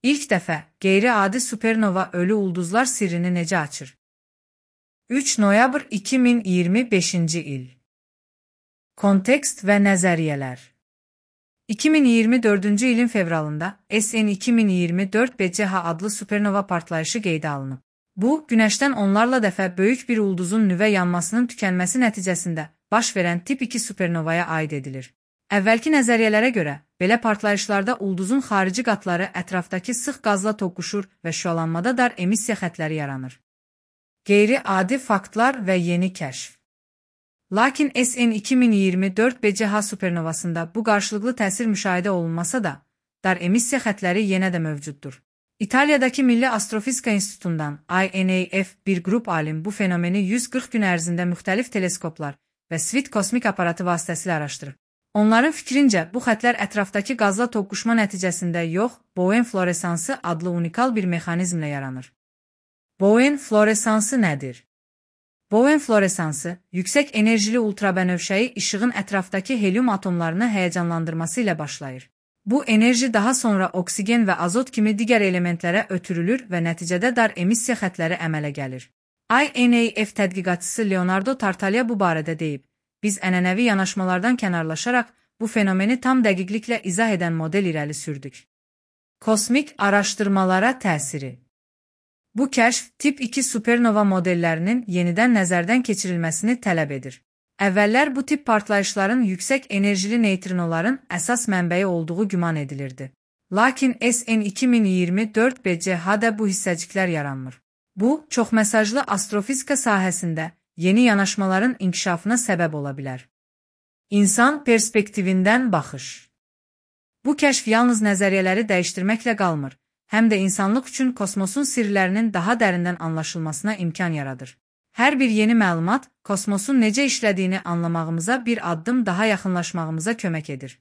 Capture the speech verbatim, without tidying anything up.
İlk dəfə qeyri-adi supernova ölü ulduzlar sirrini necə açır? üç noyabr iki min iyirmi beşinci il. Kontekst və nəzəriyyələr. iki min iyirmi dördüncü ilin fevralında S N iki min iyirmi dörd B C H adlı supernova partlayışı qeydə alınıb. Bu, Günəşdən onlarla dəfə böyük bir ulduzun nüvə yanmasının tükənməsi nəticəsində baş verən tip iki supernovaya aid edilir. Əvvəlki nəzəriyyələrə görə, belə partlayışlarda ulduzun xarici qatları ətrafdakı sıx qazla toqquşur və şüalanmada dar emissiya xəttləri yaranır. Qeyri-adi faktlar və yeni kəşf. Lakin S N iki min iyirmi dörd B C H supernovasında bu qarşılıqlı təsir müşahidə olunmasa da, dar emissiya xəttləri yenə də mövcuddur. İtaliyadakı Milli Astrofizika İnstitutundan I N A F bir qrup alim bu fenomeni yüz qırx gün ərzində müxtəlif teleskoplar və Swift kosmik aparatı vasitəsilə araşdırıb. Onların fikrincə, bu xəttlər ətrafdakı qazla toqquşma nəticəsində yox, Bowen floresansı adlı unikal bir mexanizmlə yaranır. Bowen floresansı nədir? Bowen floresansı, yüksək enerjili ultrabənövşəyi işığın ətrafdakı helium atomlarını həyəcanlandırması ilə başlayır. Bu enerji daha sonra oksigen və azot kimi digər elementlərə ötürülür və nəticədə dar emissiya xəttləri əmələ gəlir. I N A F tədqiqatçısı Leonardo Tartaglia bu barədə deyib, biz ənənəvi yanaşmalardan kənarlaşaraq bu fenomeni tam dəqiqliklə izah edən model irəli sürdük. Kosmik araşdırmalara təsiri. Bu kəşf tip iki supernova modellərinin yenidən nəzərdən keçirilməsini tələb edir. Əvvəllər bu tip partlayışların yüksək enerjili neytrinoların əsas mənbəyi olduğu güman edilirdi. Lakin S N iki min iyirmi dörd B C H-da bu hissəciklər yaranmır. Bu, çoxmesajlı astrofizika sahəsində yeni yanaşmaların inkişafına səbəb ola bilər. İnsan perspektivindən baxış. Bu kəşf yalnız nəzəriyyələri dəyişdirməklə qalmır, həm də insanlıq üçün kosmosun sirlərinin daha dərindən anlaşılmasına imkan yaradır. Hər bir yeni məlumat, kosmosun necə işlədiyini anlamağımıza bir addım daha yaxınlaşmağımıza kömək edir.